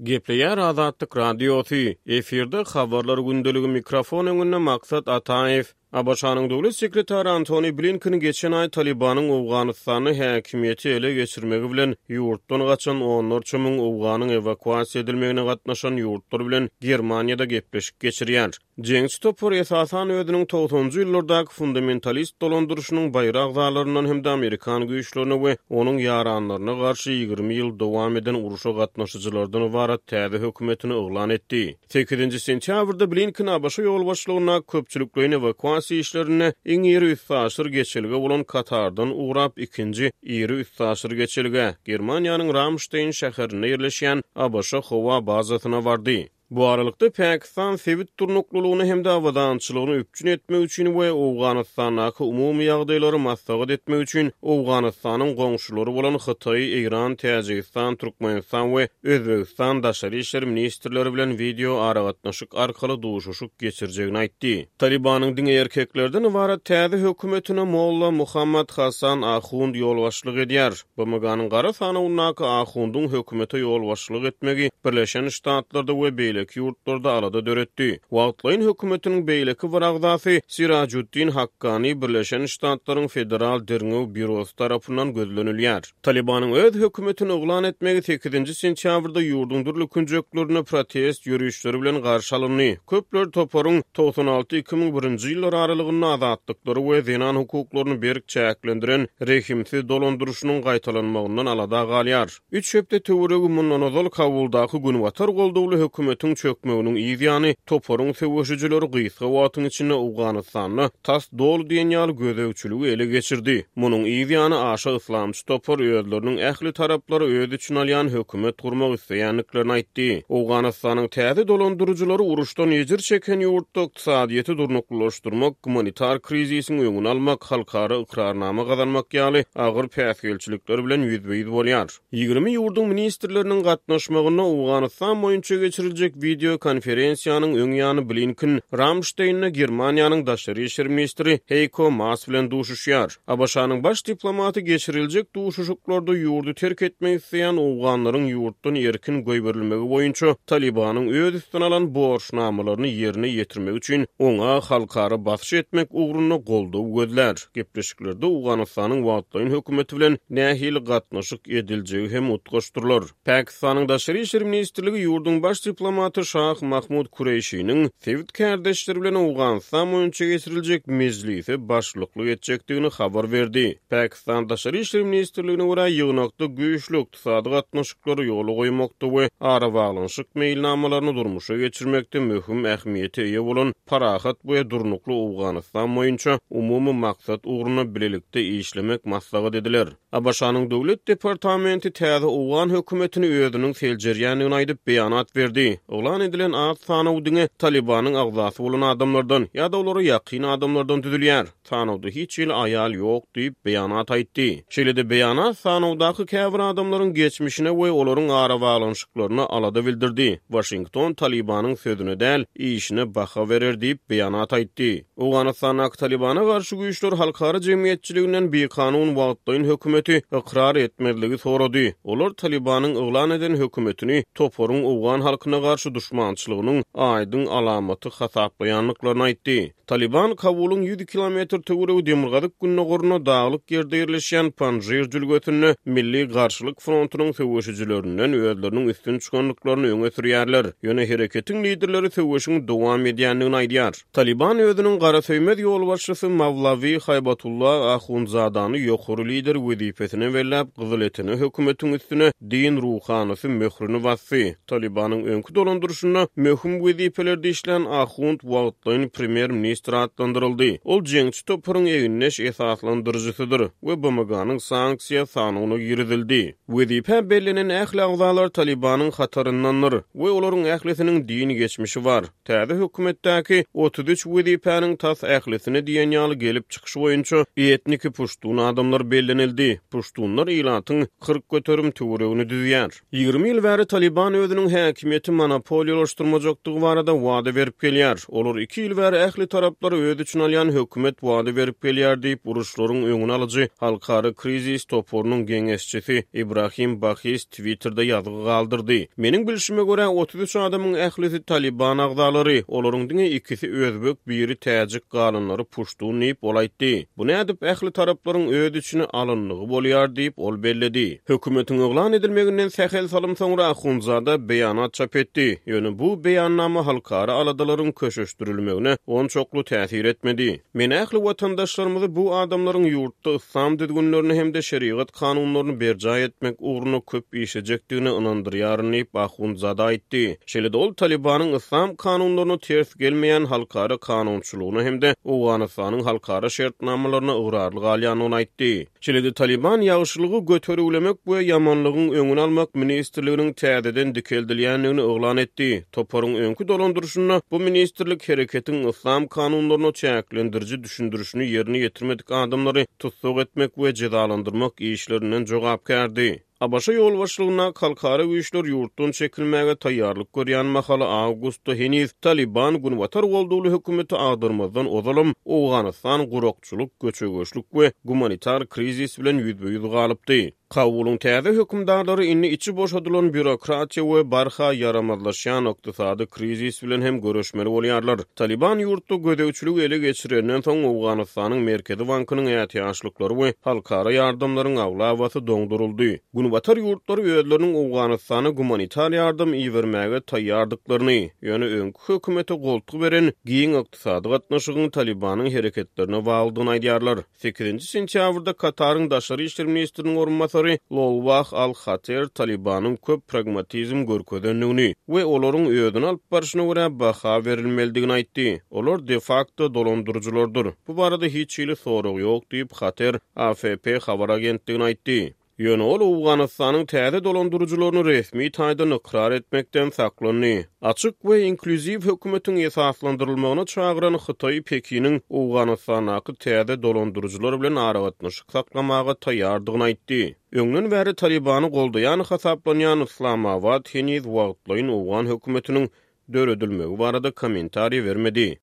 Gepleýär Azatlyk Radiosy, efirde Habarlar gündeligi mikrofon öňünde Maksat Ataýew. ABŞ-nyň Döwlet sekretary Antony Blinken geçen aý Talybanyň Owganystanda häkimiýeti ele geçirmegi bilen ýurtdan gaçan onlarça müň owganyň ewakuasiýa edilmegine gatnaşan ýurtlar bilen Germaniýada gepleşik geçirýär. Jeňçi topar esasan özüniň togsanjy ýyllardaky fundamentalist dolandyryşynyň baýry agzalaryndan hem-de amerikan güýçlerine we onuň ýaranlaryna garşy 20 ýyl dowam eden urşa gatnaşyjylardan ybarat täze hökümetini yglan etdi. Sekizinji sentýabrda Blinken ABŞ ýolbaşçylygyndaky köpçülikleýin ewakuasiýa işlerinde iň iri üstaşyr geçelge bolan Katardan ugrap ikinji iri üstaşyr geçelgä, Germaniýanyň Ramşteýn şäherinde ýerleşýän ABŞ howa bazasyna bardy. Bu aralykda, Pakistan sebit durnuklylygyny hem-de abadançylygyny üpjün etmek üçin we Owganystandaky umumy ýagdaýlary maslahat etmek üçin Owganystanyň goňşulary bolan Hytaý, Eýran, Täjigistan, Türkmenistan we Özbegistan daşary işler ministrleri bilen wideo aragatnaşyk arkaly duşuşyk geçirjegini aýtdy. Talybanyň diňe erkeklerden ybarat täze hökümetine molla Muhammad Hasan Ahund ýolbaşçylyk edýär. BMG-niň gara sanawyndaky Ahundyň hökümete ýolbaşçylyk etmegi Birleşen Ştatlarda we beýleki ýurtlarda alada döretdi. Wagtlaýyn hökümetiniň beýleki bir agzasy Sirajuddin Hakkani Birleşen Ştatlaryň Federal derňew býurosy tarapyndan gözlenilýär. Talybanyň öz hökümetini yglan etmegi sekizinji sentýabrda ýurduň dürli künjeklerinde protest ýörişleri bilen garşy alyndy. Köpler toparyň 96, 2001-nji ýyllar aralygynda azatlyklary we zenan hukuklaryny berk çäklendiren rehimsiz dolandyryşynyň gaýtalanmagyndan alada galýar. Üç hepde töweregi mundan ozal Kabuldaky günbatar goldawly hökümetiň çökmeginiň yz ýany, toparyň söweşijileri gysga wagtyň içinde Owganystanda tas doly diýen ýaly gözegçiligi ele geçirdi. Munuň yz ýany aşa yslamçy topar özleriniň ähli taraplary öz içine alýan hökümet gurmak isleýändiklerini aýtdy. Owganystanyň täze dolandyryjylary uruşdan ejir çeken ýurtda ykdysadyýeti durnuklylaşdyrmak, gumanitar krizisiň öňüni almak, halkara ykrarnama gazanmak ýaly agyr päsgelçilikler bilen ýüzbe-ýüz bolýar. 20 ýurduň ministrleriniň gatnaşmagynda Owganystan boýunça geçiriljek wideo konferensiýanyň öň ýany Blinken Ramşteýnde Germaniýanyň daşary işler ministri Heýko Maas bilen duşuşýar. ABŞ-nyň baş diplomaty geçiriljek duşuşyklarda ýurdy terk etmek isleýän owganlaryň ýurtdan erkin goýberilmegi boýunça Talybanyň öz üstüne alan borçnamalaryny ýerine ýetirmegi üçin oňa halkara basyş etmek ugrunda goldaw gözlär. Gepleşiklerde Owganystanyň wagtlaýyn hökümeti bilen nähili gatnaşyk ediljegi hem utgaşdyrylar. Pakistanyň Daşary işler ministrligi ýurduň baş diplomaty Şah Mahmud Kureýşiniň sebit kärdeşleri bilen Owganystan boýunça geçiriljek mejlise başlyklyk etjekdigini habar berdi. Pakistan Daşary işler ministrligine görä, ýygnakda güýçli ykdysady gatnaşyklary ýola goýmakda we arabaglanyşyk meýilnamalaryny durmuşa geçirmekde möhüm ähmiýete eýe bolan parahat we durnukly Owganystan boýunça umumy maksat ugrunda bilelikde işlemek maslahat ediler. ABŞ-nyň Döwlet departamenti täze owgan hökümetini özüniň seljerýändigini aýdyp, beýanat berdi. Yglan edilen at sanawy diňe Talybanyň agzasy bolan adamlardan ýa-da olara ýakyn adamlardan düzülýär. Sanawda hiç hili aýal ýok diýip, beýanat aýtdy. Şeýle-de beýanat sanawdaky käbir adamlaryň geçmişine we olaryň arabaglanyşyklaryna alada bildirdi. Waşington Talybanyň sözüne däl, işine baha berer diýip, beýanat aýtdy. Owganystandaky Talybana garşy güýçler halkara jemgyýetçiliginden bikanun wagtlaýyn hökümeti ykrar etmezligi sorady. Olar Talybanyň yglan eden hökümetini toparyň owgan halkyna garşy duşmançylygynyň aýdyň alamaty hasaplaýandyklaryny aýtdy. Talyban Kabulyň 100 kilometr töweregi demirgazyk-gündogarynda daglyk ýerde ýerleşýän Panjir jülgesinde Milli garşylyk frontunyň söweşijilerinden özleriniň üstün çykandyklaryny öňe sürýärler. Ýöne hereketiň liderleri söweşiň dowam edýändigini aýdýar. Talyban özüniň garasöýmez ýolbaşçysy Mawlawi Haýbatullah Ahundzadany ýokary lider wezipesine belläp, gyzyletene hökümetiň üstüne din ruhanysy möhrüni basdy. Talybanyň öňki dolandyryşynda möhüm wezipelerde işlän Ahund wagtlaýyn premýer-ministr atlandyryldy. Ol jeňçi toparyň egindeş esaslandyryjysydyr we BMG-niň sanksiýa sanawyna girizildi. Wezipä bellenen ähli agzalar Talybanyň hataryndandyr we olaryň ählisiniň din geçmişi bar. Täze hökümetdäki 33 wezipäniň tas ählisine diýen ýaly gelip çykyşy boýunça etniki puştun adamlar bellenildi. Puştunlar ilatyň 40% töweregini düzýär. 20 ýyl bäri Talyban özüniň häkimiýeti monopoliýasyny. monopoliýalaşdyrmajakdygy barada wada berip gelýär. Olar iki ýyl bäri ähli taraplary öz içine alýan hökümet wada berip gelýär diýip, uruşlaryň öňüni alyjy halkara krizis toparynyň geňeşçisi Ibrahim Bahis Twitterde ýazgy galdyrdy. Meniň bilşime görä, 33 adamyň ählisi Talyban agzalary, olaryň diňe ikisi özbek, biri täjik, galanlary puştun diýip, ol aýtdy. Bu nädip ähli taraplaryň öz içine alyndygy bolýar diýip, ol belledi. Hökümetiň yglan edilmeginden sähel salym soňra Ahundzada beýanat çap etdi. Ýöne bu beýannama halkara aladalaryň köşeşdirilmegine onçakly täsir etmedi. Men ähli watandaşlarymyzy bu adamlaryň ýurtda yslam düzgünlerini hem-de şerigat kanunlaryny berjaý etmek ugrunda köp işlejekdigine ynandyrýaryn diýip, Ahundzada aýtdy. Şeýle-de ol Talybanyň yslam kanunlaryna ters gelmeýän halkara kanunçylygyna hem-de Owganystanyň halkara şertnamalaryna ygrarly galýandygyny aýtdy. Şeýle-de Talyban Ýagşylygy götergilemek we ýamanlygyň öňüni almak ministrliginiň täzeden dikeldilýändigini yglan etdi. Toparyň öňki dolandyryşynda bu ministrlik hereketiň yslam kanunlaryna çäklendiriji düşündirişini ýerine ýetirmedik adamlary tussag etmek we jezalandyrmak işlerinden jogapkärdi. ABŞ ýolbaşçylygyndaky halkara güýçler ýurtdan çekilmäge taýýarlyk görýän mahaly awgustda heniz Talyban günbatar goldawly hökümeti agdarmazdan ozalam Owganystan gurakçylyk, göçe-göçlük we gumanitar krizis bilen ýüzbe-ýüz galypdy. Kabulyň täze hökümdarlary indi içi boşadylan býurokratiýa we barha ýaramazlaşýan ykdysady krizis bilen hem göreşmeli bolýarlar. Talyban ýurtda gözegçiligi ele geçirenden soň, Owganystanyň Merkezi bankynyň ätiýaçlyklary we halkara ýardamlaryň aglabasy doňduryldy. Günbatar ýurtlary özleriniň Owganystana gumanitar ýardam ibermäge taýýardyklaryny, ýöne öňki hökümete goltgy beren giň ykdysady gatnaşygyň Talybanyň hereketlerine baglydygyny aýdýarlar. Sekizinji sentýabrda Kataryň daşary işler ministriniň orunbasary Lolwah Al-Hater Talybanyň köp pragmatizm görkezendigini we olaryň özüni alyp barşyna görä baha berilmelidigini aýtdy. Olar de-fakto dolandyryjylardyr. Bu barada hiç hili sorag ýok diýip, Hater AFP habar agentligine aýtdy. Ýöne ol Owganystanyň täze dolandyryjylaryny resmi taýdan ykrar etmekden saklandy. Açyk we inklýuziw hökümetiň esaslandyrylmagyna çagyran Hytaý Pekiniň Owganystandaky täze dolandyryjylar bilen aragatnaşyk saklamaga taýýardygyny aýtdy. Öňden bäri Talybany goldaýan hasaplanýan Yslamabat heniz wagtlaýyn owgan hökümetiniň döredilmegi barada kommentariý bermedi.